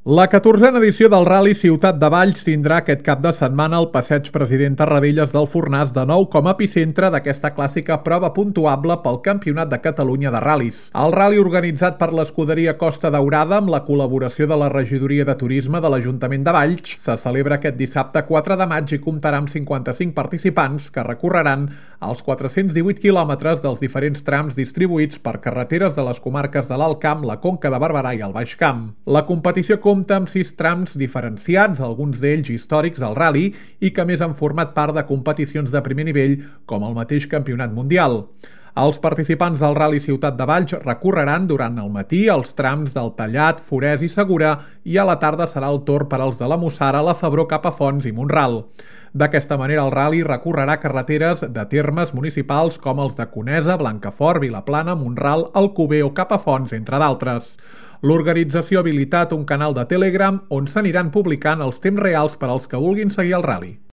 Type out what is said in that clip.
La 14a edició del Rally Ciutat de Valls tindrà aquest cap de setmana el Passeig President Tarradellas del Fornàs de nou com a epicentre d'aquesta clàssica prova puntuable pel Campionat de Catalunya de Ral·lis. El rally organitzat per l'escuderia Costa Daurada amb la col·laboració de la Regidoria de Turisme de l'Ajuntament de Valls se celebra aquest dissabte 4 de maig i comptarà amb 55 participants que recorreran els 418 quilòmetres dels diferents trams distribuïts per carreteres de les comarques de l'Alt Camp, la Conca de Barberà i el Baix Camp. La competició compta amb 6 trams diferenciats, alguns d'ells històrics del rally i que més han format part de competicions de primer nivell com el mateix Campionat Mundial. Els participants del Rally Ciutat de Valls recorreran durant el matí els trams del Tallat, Forès i Segura i a la tarda serà el torn per als de la Mussara, la Febró cap a Fonts i Mont-ral. D'aquesta manera el rally recorrerà carreteres de termes municipals com els de Conesa, Blancafort, Vilaplana, Mont-ral, Alcover o cap a Fonts, entre d'altres. L'organització ha habilitat un canal de Telegram on s'aniran publicant els temps reals per als que vulguin seguir el rally.